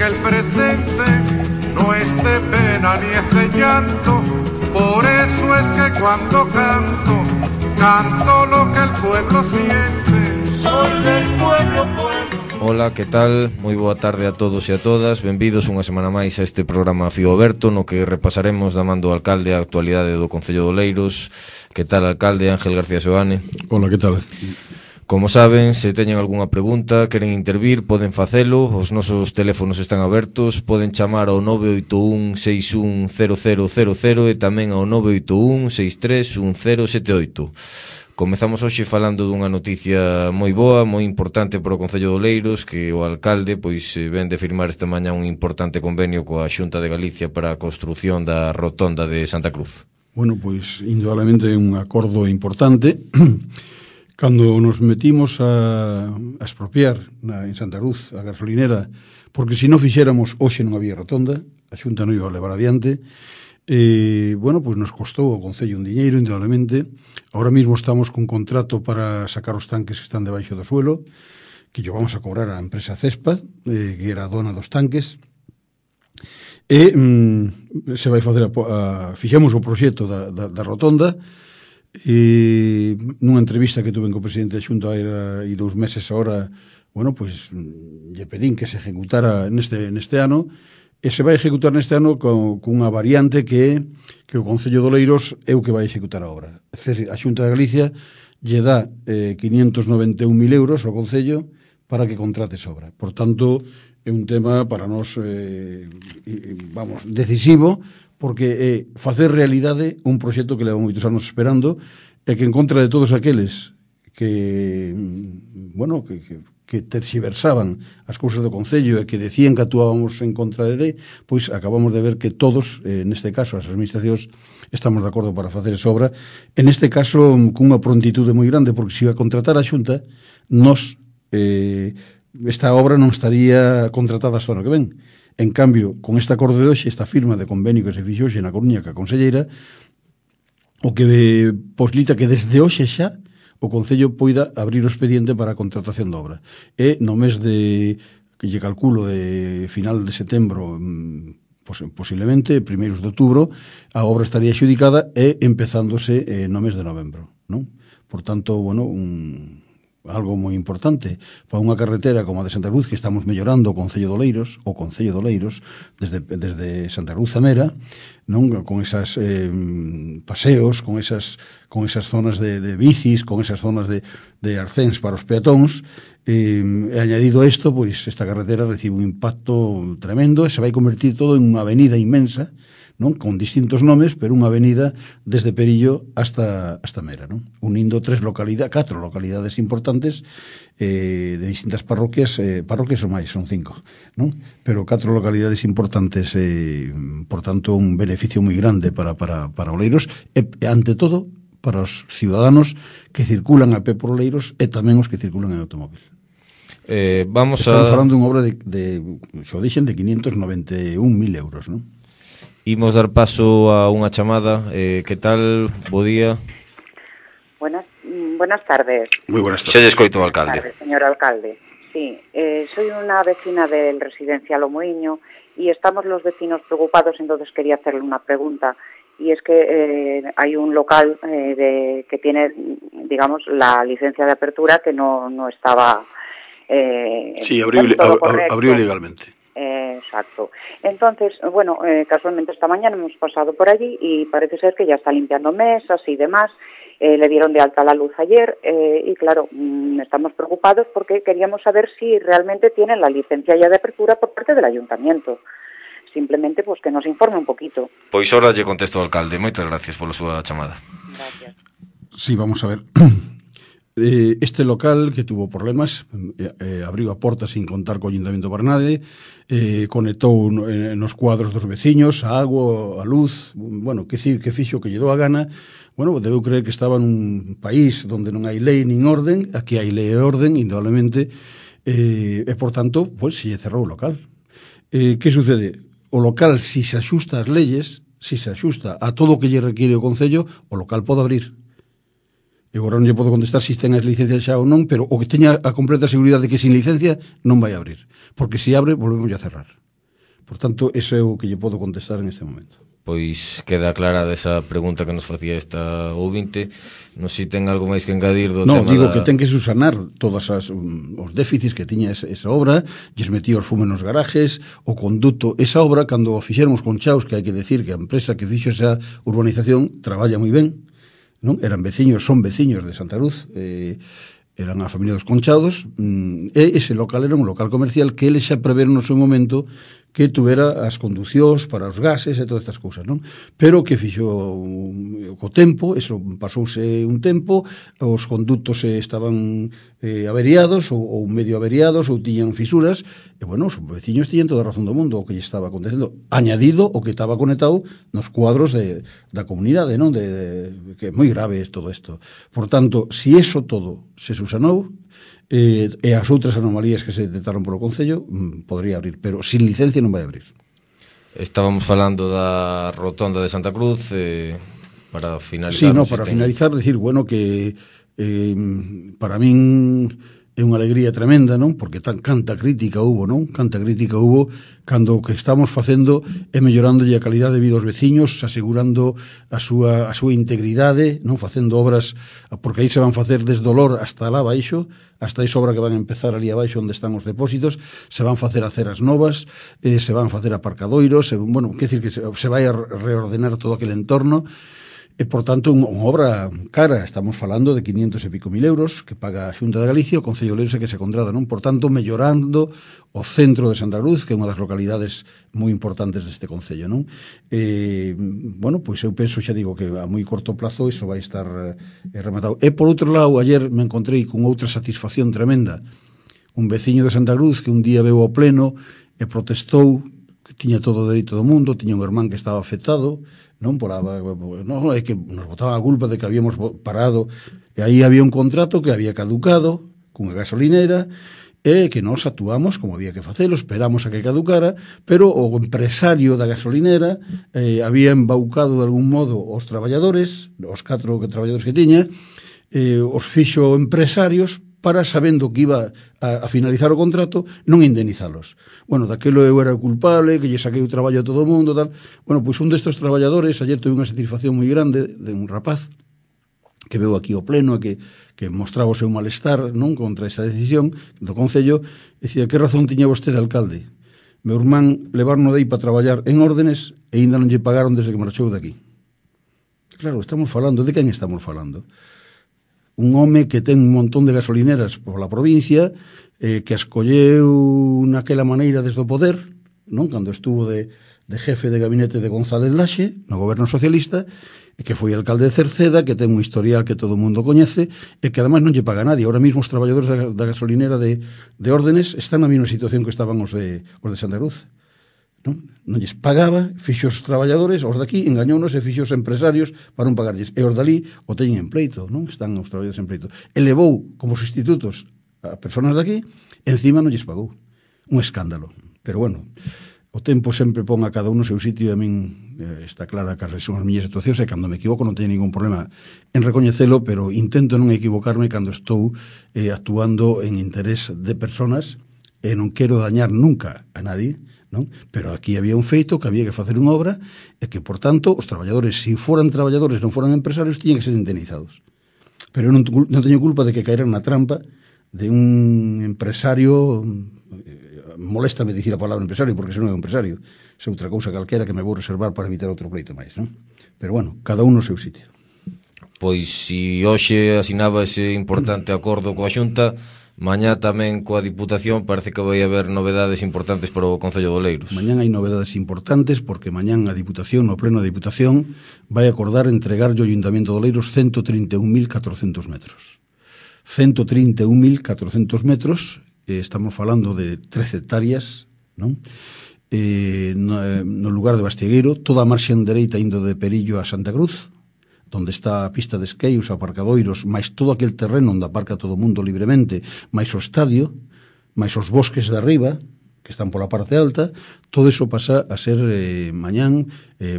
que el presente no es de pena ni es de llanto. Por eso es que cuando canto, canto lo que el pueblo siente. Soy del pueblo, pueblo. Ola, que tal? Moi boa tarde a todos e a todas. Benvidos unha semana máis a este programa Fío Aberto, no que repasaremos da man do alcalde a actualidade do Concello de Oleiros. Que tal, alcalde? Ángel García Seoane. Ola, que tal? Como saben, se teñen algunha pregunta, queren intervir, poden facelo. Os nosos teléfonos están abertos. Poden chamar ao 981 61 0000 e tamén ao 981 63 1078. Comezamos hoxe falando dunha noticia moi boa, moi importante para o Concello de Oleiros, que o alcalde ven de firmar esta mañá un importante convenio coa Xunta de Galicia para a construción da rotonda de Santa Cruz. Bueno, indudablemente é un acordo importante. Cando nos metimos a expropiar en Santa Cruz a gasolinera, porque se non fixéramos hoxe non había rotonda, a Xunta non iba a levar adiante. Nos costou ao Concello un diñeiro, indudablemente. Ahora mismo estamos con contrato para sacar os tanques que están debaixo do suelo, que lle vamos a cobrar á empresa Cespa, que era a dona dos tanques. Se vai facer fixemos o proxecto da rotonda. Nunha entrevista que tuve co presidente da Xunta hai 2 meses agora, lle pedín que se ejecutara neste ano. E se vai executar neste ano cunha variante que o Concello de Oleiros é o que vai executar a obra. É dicir, a Xunta de Galicia lle dá 591.000 euros ao Concello para que contrate esa obra. Por tanto, é un tema para nós decisivo, porque é facer realidade un proxecto que leva moitos anos esperando e que en contra de todos aqueles que terxiversaban as cousas do Concello e que decían que actuábamos en contra de acabamos de ver que todos, neste caso as administracións, estamos de acordo para facer esa obra, en este caso cunha prontitude moi grande, porque se a contratar a Xunta, esta obra non estaría contratada hasta o ano que ven. En cambio, con este acordo de hoxe, esta firma de convenio que se fixo hoxe na Coruña ca conselleira, o que posibilita que desde hoxe xa o Concello poida abrir o expediente para a contratación da obra. E no mes que lle calculo de final de setembro, posiblemente, primeiros de outubro, a obra estaría xudicada e empezándose no mes de novembro, non? Por tanto, algo moi importante para unha carretera como a de Santa Cruz, que estamos mellorando o Concello de Oleiros, desde Santa Cruz a Mera, non? Con esas paseos, con esas zonas de bicis, con esas zonas de arcéns para os peatóns. E añadido isto, esta carretera recibe un impacto tremendo e se vai convertir todo en unha avenida inmensa, non? Con distintos nomes, pero unha avenida desde Perillo hasta Mera, non? Unindo 4 localidades importantes de distintas parroquias ou máis, son 5, non? Pero 4 localidades importantes, por tanto, un beneficio moi grande para Oleiros e, ante todo, para os ciudadanos que circulan a pé por Oleiros e tamén os que circulan en automóvil. Estamos falando dunha obra de 591.000 euros, non? Imos dar paso a unha chamada. Que tal? Bo día. Buenas tardes. Moi buenas tardes. Xa lle escoito ao alcalde. Buenas tardes, señor alcalde. Sí, soy una vecina del residencial O Moinho y estamos los vecinos preocupados, entonces quería hacerle una pregunta. Y es que hay un local que tiene, digamos, la licencia de apertura que no estaba... sí, abrió legalmente. Exacto. Entonces, casualmente esta mañana hemos pasado por allí y parece ser que ya está limpiando mesas y demás. Le dieron de alta la luz ayer y claro, estamos preocupados porque queríamos saber si realmente tienen la licencia ya de apertura por parte del ayuntamiento. Simplemente que nos informe un poquito. Pois ahora lle contesto ao alcalde. Moitas gracias pola súa chamada. Gracias. Sí, vamos a ver. Este local que tuvo problemas abriu a porta sin contar co Ayuntamiento de Barnade, conectou nos cuadros dos veciños a agua, a luz, que fixo que lle dou a gana. Debeu creer que estaba nun país onde non hai lei nin orden. Aquí hai lei e orden, indudablemente, e por tanto, se lle cerrou o local. Que sucede? O local, se se axusta ás leyes, se se axusta a todo o que lle require o Concello, o local pode abrir. Eu agora non lle podo contestar se ten as licencias xa ou non, pero o que teña a completa seguridade de que sin licencia non vai abrir. Porque se abre, volvemos a cerrar. Por tanto, ese é o que lle podo contestar en este momento. Pois queda clara desa pregunta que nos facía esta ouvinte. Non sei se ten algo máis que engadir do tema digo que ten que susanar todas os déficits que tiña esa obra, lles metía os fume nos garajes, o conduto, esa obra, cando o fixéramos con Chaos, que hai que decir que a empresa que fixo esa urbanización traballa moi ben, non? Eran veciños, son veciños de Santa Cruz, eran a familia dos Conchados, e ese local era un local comercial que eles xa preveron no seu momento que tuvera as conducións para os gases e todas estas cousas, non? Pero que fixo co tempo, eso pasouse un tempo, os conductos estaban averiados ou medio averiados ou tiñan fisuras, e bueno, os veciños tiñan toda a razón do mundo o que lle estaba acontecendo, añadido o que estaba conectado nos cuadros da comunidade, non? Que é moi grave todo isto. Por tanto, si eso todo se susanou, e as outras anomalías que se detectaron polo Concello, podría abrir, pero sin licencia non vai abrir. Estábamos falando da rotonda de Santa Cruz, para finalizar. Sí, no, para finalizar, decir, bueno, que para min é unha alegría tremenda, non? Porque canta crítica hubo, non? Canta crítica hubo cando o que estamos facendo é mellorándolle a calidade de vida aos veciños, asegurando a súa integridade, non? Facendo obras, porque aí se van facer desde Olor hasta lá baixo, hasta esa obra que van a empezar ali abaixo onde están os depósitos, se van facer aceras novas, se van facer aparcadoiros, bueno, quer decir que se vai a reordenar todo aquele entorno. E, por tanto, unha obra cara, estamos falando de 500 e pico mil euros que paga a Xunta de Galicia, o Concello de Oleiros que se contrata, non? Por tanto, mellorando o centro de Santa Cruz, que é unha das localidades moi importantes deste Concello, non? Bueno, pois eu penso, xa digo, que a moi corto plazo iso vai estar rematado. E, por outro lado, ayer me encontrei con outra satisfacción tremenda. Un veciño de Santa Cruz que un día veu ao pleno e protestou, que tiña todo o dereito do mundo, tiña un irmán que estaba afectado, non é que nos botaban a culpa de que habíamos parado, e aí había un contrato que había caducado cunha gasolinera e que nós actuamos como había que facelo, esperamos a que caducara, pero o empresario da gasolinera había embaucado de algún modo os traballadores, os 4 traballadores que tiña, os fixo empresarios para, sabendo que iba a finalizar o contrato, non indemnizalos. Bueno, daquelo eu era o culpable, que lle saquei o traballo a todo o mundo, tal. Bueno, pois un destes traballadores, ayer tuve unha satisfacción moi grande de un rapaz que veu aquí ao pleno, que mostraba o seu malestar, non, contra esa decisión do Concello, e dicía, que razón tiña vostede, alcalde? Meu irmán levarno de aí para traballar en órdenes e ainda non lle pagaron desde que marchou daqui. Claro, estamos falando, de quen estamos falando? Un home que ten un montón de gasolineras pola provincia, que escolleu naquela maneira desde o poder, non? Cando estuvo de jefe de gabinete de González Laxe, no goberno socialista, e que foi alcalde de Cerceda, que ten un historial que todo o mundo coñece, e que ademais non lle paga a nadie. Ahora mesmo os traballadores da gasolinera de órdenes están na mesma situación que estaban os de Santa Cruz. Non lles pagaba, fixo os traballadores, os daqui, engañounos e fixo os empresarios para non pagarlles. E os dali o teñen en pleito, non? Están os traballadores en pleito. E levou como sustitutos a personas daqui, encima non lles pagou. Un escándalo. Pero bueno, o tempo sempre pon a cada un no seu sitio, e a min está clara que son as miñas situacións, e cando me equivoco non teño ningún problema en recoñecelo, pero intento non equivocarme cando estou actuando en interés de personas, e non quero dañar nunca a nadie, non? Pero aquí había un feito que había que facer unha obra e que, por tanto, os traballadores, se foran traballadores, non foran empresarios, tiñan que ser indemnizados. Pero eu non teño culpa de que caeran na trampa de un empresario, moléstame dicir a palabra empresario, porque se non é un empresario, é outra cousa calquera que me vou reservar para evitar outro pleito máis, non? Pero bueno, cada un no seu sitio. Pois se hoxe asinaba ese importante acordo coa Xunta, mañá tamén coa Diputación parece que vai haber novedades importantes para o Concello de Oleiros. Mañán hai novedades importantes porque mañán a Diputación, no pleno da Diputación, vai acordar entregarlle ao Ayuntamiento de Oleiros 131.400 metros. 131.400 metros, estamos falando de 13 hectáreas, non? No lugar de Bastiegueiro, toda a marxen dereita indo de Perillo a Santa Cruz, onde está a pista de esquí, os aparcadoiros, máis todo aquel terreno onde aparca todo o mundo libremente, máis o estadio, máis os bosques de arriba, que están pola parte alta, todo iso pasa a ser mañán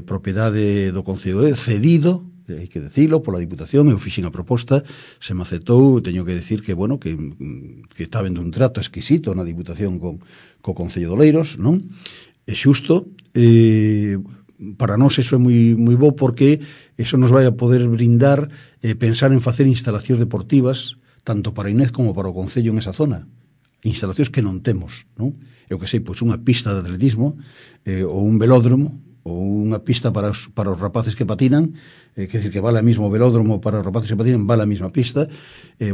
propiedade do Concello, cedido, hai que decilo, pola Diputación. Eu fixen a proposta, se me aceptou, teño que decir que, bueno, que está vendo un trato exquisito na Diputación co Concello de Oleiros, non? é xusto, para nós eso é moi bo porque eso nos vai a poder brindar pensar en facer instalacións deportivas tanto para Inés como para o Concello en esa zona, instalacións que non temos, non? Eu que sei, pois unha pista de atletismo ou un velódromo ou unha pista para os rapaces que patinan, quer decir que vale a mismo velódromo para os rapaces que patinan, vale a mesma pista,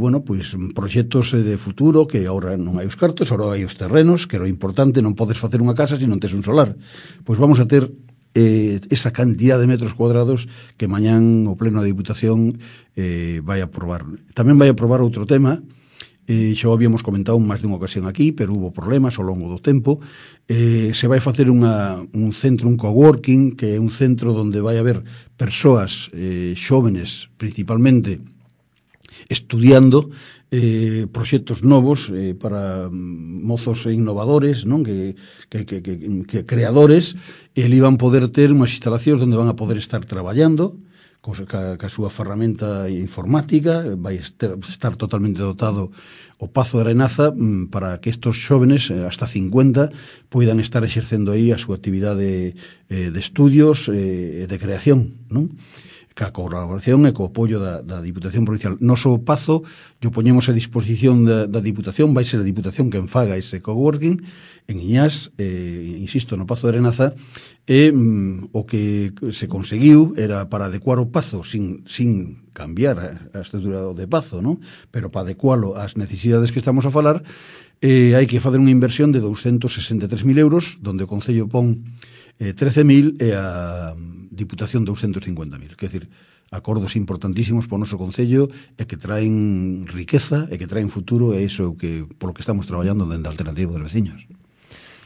bueno, pois proxectos de futuro que agora non hai os cartos, agora hai os terrenos, que é o importante, non podes facer unha casa se non tes un solar. Pois vamos a ter esa cantidad de metros cuadrados que mañán o Pleno da Diputación vai aprobar. Tamén vai aprobar outro tema, xa o habíamos comentado máis dunha ocasión aquí, pero hubo problemas ao longo do tempo. Se vai facer un centro, un coworking, que é un centro onde vai haber persoas xóvenes, principalmente, estudiando proxectos novos para mozos innovadores, non? Que creadores, e ali van poder ter unhas instalacións onde van a poder estar traballando ca súa ferramenta informática, vai estar totalmente dotado o Pazo de Arenaza para que estos xóvenes, hasta 50, poidan estar exercendo aí a súa actividade de estudios e de creación, non? Ca colaboración e co apoio da Diputación Provincial. Noso Pazo, yo poñemos a disposición da Diputación, vai ser a Diputación quen faga ese coworking en Iñás, insisto, no Pazo de Arenaza, e o que se conseguiu era para adecuar o Pazo sin cambiar a estrutura de Pazo, non? Pero para adecualo ás necesidades que estamos a falar, hai que facer unha inversión de 263.000 euros, donde o Concello pon 13.000 e a Diputación 250.000. Quer dizer, acordos importantísimos para o noso Concello e que traen riqueza e que traen futuro, e iso é o que polo que estamos traballando dentro da Alternativa dos Veciños.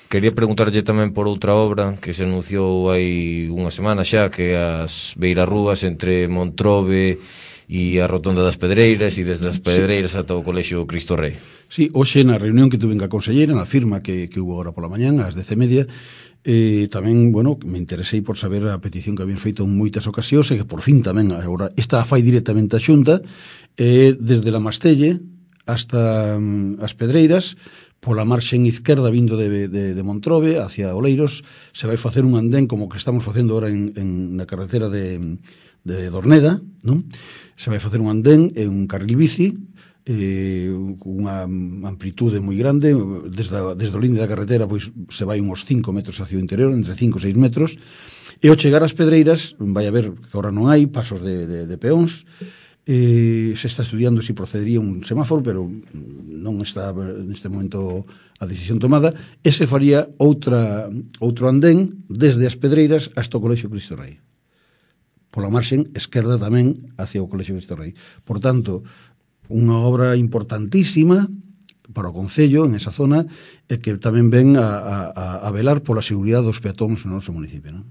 Quería preguntarlle tamén por outra obra que se anunciou hai unha semana xa, que as beirarrúas entre Montrobe e a Rotonda das Pedreiras, e desde as Pedreiras ata o Colexio Cristo Rei. Sí, hoxe na reunión que tuve a conselleira, na firma que hubo agora pola mañán, ás 10:30, tamén, bueno, me interesei por saber a petición que habían feito en moitas ocasións e que por fin tamén agora esta fai directamente a Xunta, desde la Mastelle hasta as Pedreiras, pola marxen izquierda vindo de Montrobe hacia Oleiros, se vai facer un andén como que estamos facendo ahora na carretera de Dorneda, non? Se vai facer un andén e un carril bici, unha amplitude moi grande, desde o linde da carretera pois se vai uns 5 metros hacia o interior, entre 5 e 6 metros, e ao chegar ás Pedreiras vai haber, que agora non hai, pasos de peóns, se está estudiando se procedería un semáforo, pero non está neste momento a decisión tomada, e se faría outro andén desde as Pedreiras hasta o Colexio Cristo Rei, pola marxen esquerda tamén hacia o Colexio Cristo Rei. Por tanto, unha obra importantísima para o Concello en esa zona, e que tamén ven a velar pola seguridade dos peatóns no noso municipio, non?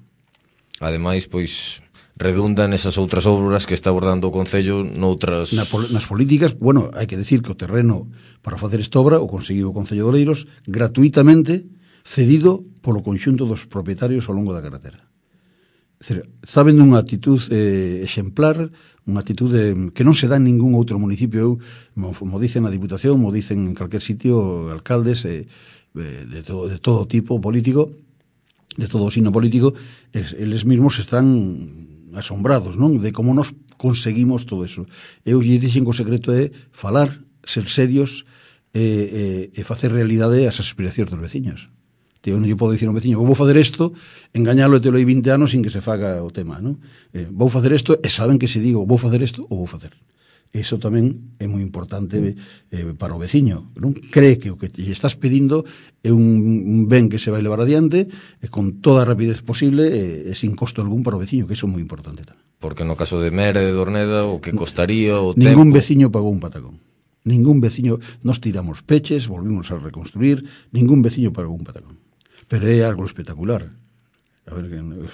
Ademais, pois, redunda nesas outras obras que está abordando o Concello noutras... Nas políticas, bueno, hai que decir que o terreno para facer esta obra o conseguiu o Concello de Oleiros gratuitamente, cedido polo conxunto dos propietarios ao longo da carretera. Está vendo unha actitud exemplar, unha actitud que non se dá en ningún outro municipio. Eu, mo dicen na Diputación, mo dicen en calquer sitio alcaldes de todo tipo político, de todo o signo político, eles mesmos están asombrados, non? De como nos conseguimos todo eso. Eu lle dixen que o secreto é falar, ser serios e facer realidade as aspiracións dos veciños. Eu non lle podo dicir ao veciño, vou facer isto, engañalo e telo aí 20 anos sin que se faga o tema, non? Vou facer isto e saben que se digo vou facer isto ou vou facer. Eso tamén é moi importante para o veciño, non? Cree que o que lle estás pedindo é un ben que se vai levar adiante e con toda a rapidez posible e sin costo algún para o veciño, que iso é moi importante tamén. Porque no caso de Mera e de Dorneda, o que costaría o tempo... Ningún veciño pagou un patacón. Ningún veciño, nos tiramos peches, volvimos a reconstruir, ningún veciño pagou un patacón. Pero é algo espectacular. A ver,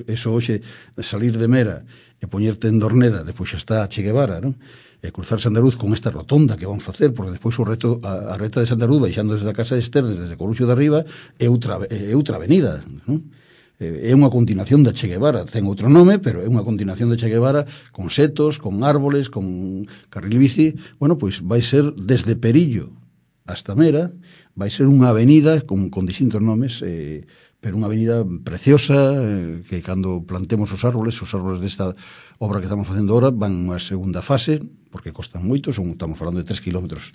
eso hoxe, salir de Mera e poñerte en Dorneda, depois xa está a Che Guevara, non? E cruzar Sandaruz con esta rotonda que van facer, porque despois a reta de Sandaruz, baixando desde a Casa de Ester, desde Coruxo de Arriba, é outra avenida, non? É unha continuación da Che Guevara, ten outro nome, pero é unha continuación da Che Guevara, con setos, con árboles, con carril bici. Bueno, pois vai ser desde Perillo hasta Mera, vai ser unha avenida con distintos nomes pero unha avenida preciosa, que cando plantemos os árboles desta obra que estamos facendo ahora van unha segunda fase, porque costan moito, estamos falando de 3 kilómetros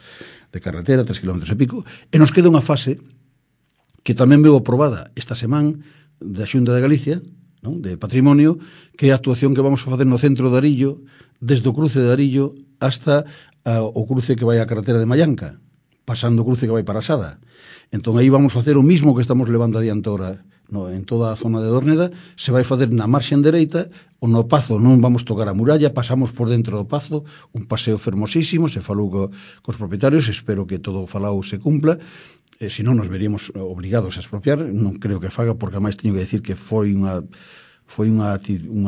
de carretera, 3 kilómetros e pico, e nos queda unha fase que tamén veu aprobada esta semana da Xunta de Galicia, non? De Patrimonio, que é a actuación que vamos a facer no centro de Arillo, desde o cruce de Arillo hasta o cruce que vai á carretera de Mallanca, pasando o cruce que vai para Sada. Entón aí vamos facer o mismo que estamos levando adiante ahora en toda a zona de Dorneda, se vai facer na marxen dereita, o no Pazo non vamos tocar a muralla, pasamos por dentro do Pazo, un paseo fermosísimo, se falou cos propietarios, espero que todo o falado se cumpla, se non nos veríamos obrigados a expropiar, non creo que faga, porque ademais teño que decir que foi unha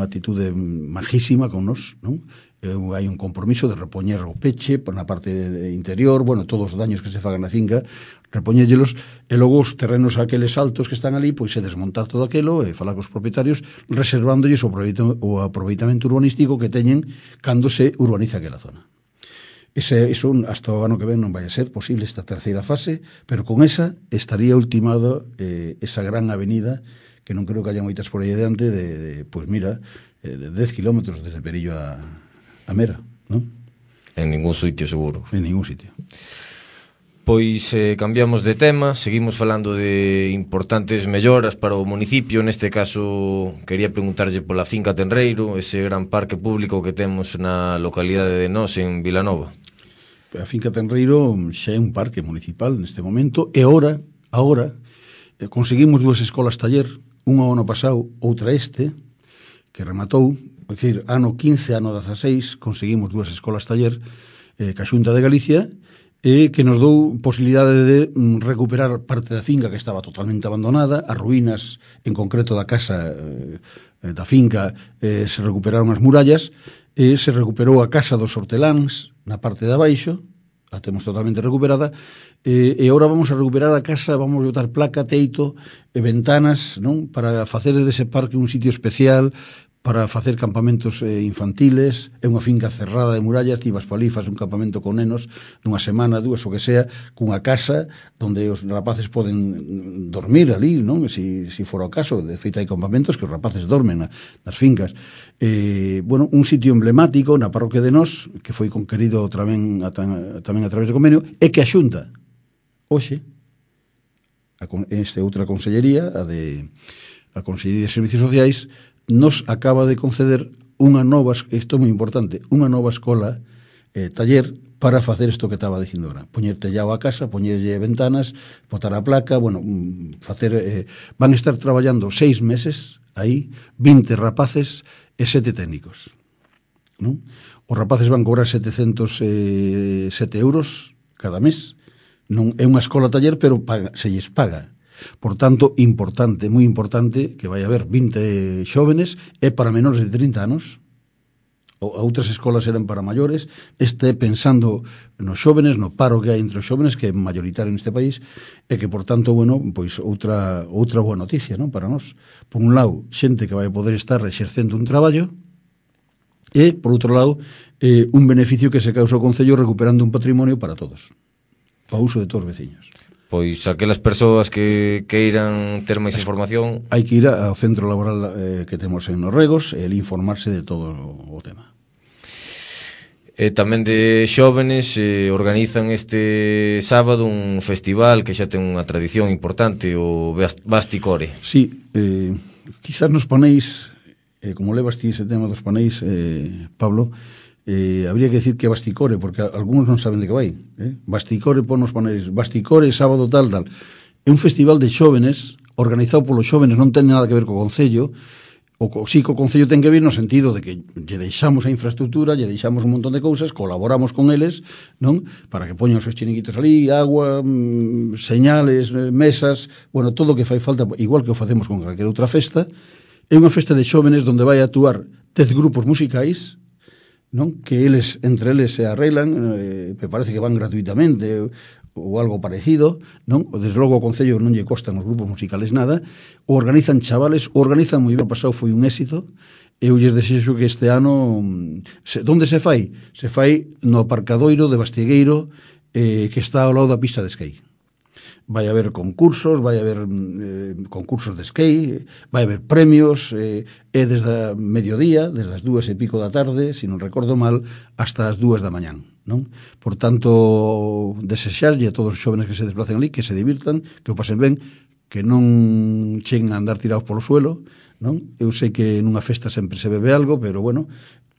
atitude majísima con nos, non? Hai un compromiso de repoñer o peche na parte interior, bueno, todos os daños que se fagan na finca, repoñéllelos, e logo os terrenos aqueles altos que están ali, pois se desmontar todo aquilo e falar cos propietarios, reservándolles o aproveitamento urbanístico que teñen cando se urbaniza aquela zona. Eso hasta o ano que ven non vai a ser posible esta terceira fase, pero con esa estaría ultimado esa gran avenida que non creo que haya moitas por aí adiante pois mira, de 10 kilómetros desde Perillo a Mera, non? En ningún sitio, seguro. En ningún sitio. Pois cambiamos de tema, seguimos falando de importantes melloras para o municipio. Neste caso, quería preguntarlle pola finca Tenreiro, ese gran parque público que temos na localidade de Nós, en Vilanova. A finca Tenreiro xa é un parque municipal neste momento, e agora conseguimos 2 escolas taller, unha o ano pasado, outra que rematou, é dicir, ano 15, ano 16, conseguimos 2 escolas taller ca Xunta de Galicia, que nos dou posibilidade de recuperar parte da finca que estaba totalmente abandonada, as ruínas, en concreto da casa da finca, se recuperaron as murallas, se recuperou a casa dos horteláns na parte de abaixo, a temos totalmente recuperada, e agora vamos a recuperar a casa, vamos a botar placa, teito e ventanas, non? Para facer dese parque un sitio especial, para facer campamentos infantiles, é unha finca cerrada de murallas, ti vas pa ali, faz un campamento con nenos, nunha semana, 2, o que sea, cunha casa onde os rapaces poden dormir ali, non? Si fora o caso, de feito hai campamentos que os rapaces dormen nas fincas. Bueno, un sitio emblemático na parroquia de Nós, que foi conquerido tamén a través de convenio, é que a Xunta, hoxe, outra consellería, a Consellería de Servicios Sociais, nos acaba de conceder unha nova, isto é moi importante, unha nova escola taller para facer isto que estaba dicindo agora, poñer tellado a casa, poñerlle ventanas, botar a placa, bueno, van a estar traballando 6 meses aí, 20 rapaces e 7 técnicos, non? Os rapaces van cobrar 707 euros cada mes, non é unha escola taller, pero se lles paga. Por tanto, importante, moi importante, que vai haber 20 xóvenes, é para menores de 30 anos, outras escolas eran para maiores, pensando nos xóvenes, no paro que hai entre os xóvenes, que é mayoritario neste país, e que, por tanto, bueno, pois outra boa noticia, non, para nós. Por un lado, xente que vai poder estar exercendo un traballo, e, por outro lado, un beneficio que se causa o Concello recuperando un patrimonio para todos, para uso de todos os veciños. Pois aquelas persoas que queiran ter máis información, hai que ir ao centro laboral que temos en Norregos e informarse de todo o tema. E tamén de xóvenes organizan este sábado un festival que xa ten unha tradición importante, o Basticore. Sí, quizás nos paneis, como levas ti ese tema dos paneis, Pablo, habría que decir que Basticore, porque algúns non saben de que vai. Basticore, ponos paneis, Basticore, sábado tal. É un festival de xóvenes, organizado polos xóvenes, non ten nada que ver co Concello. Sí, co Concello ten que ver no sentido de que lle deixamos a infraestructura, lle deixamos un montón de cousas, colaboramos con eles, non? Para que poñan os seus chiniquitos ali, agua, señales, mesas, bueno, todo o que fai falta, igual que o facemos con calquera outra festa. É unha festa de xóvenes onde vai a actuar 10 grupos musicais, non? Que entre eles se arreglan, me parece que van gratuitamente ou algo parecido, non? Desde logo o Concello non lle costan os grupos musicales nada, o organizan chavales, o organizan moi ben, o pasado foi un éxito, e eu lles desexo que este ano, onde se fai? Se fai no aparcadoiro de Bastiegueiro, que está ao lado da pista de esquí. vai haber concursos, vai haber concursos de skate, vai haber premios, é desde a mediodía, desde as 2:00 da tarde, se non recordo mal, hasta as 2 da mañán, non? Por tanto, desexarlle a todos os xóvenes que se desplacen ali, que se divirtan, que o pasen ben, que non cheguen a andar tirados polo suelo, non? Eu sei que nunha festa sempre se bebe algo, pero bueno,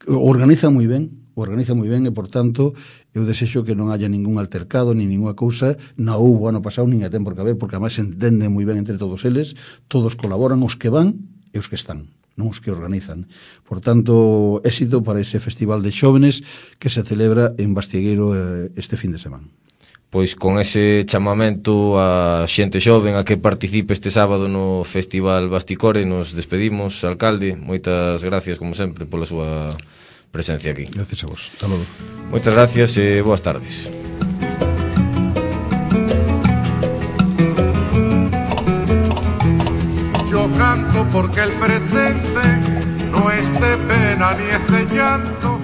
organizan moi ben e, por tanto, eu desexo que non haya ningún altercado, ni ninguna cousa, non houbo ano pasado, nin a ten por caber, porque además se entende moi ben entre todos eles, todos colaboran, os que van e os que están, non os que organizan. Por tanto, éxito para ese festival de xóvenes que se celebra en Bastiegueiro este fin de semana. Pois con ese chamamento a xente xoven a que participe este sábado no Festival Basticore, nos despedimos. Alcalde, moitas gracias, como sempre, pola súa presencia aquí. Gracias a vos. Hasta logo. Moitas gracias e boas tardes. Yo canto porque el presente no es de pena ni es de llanto.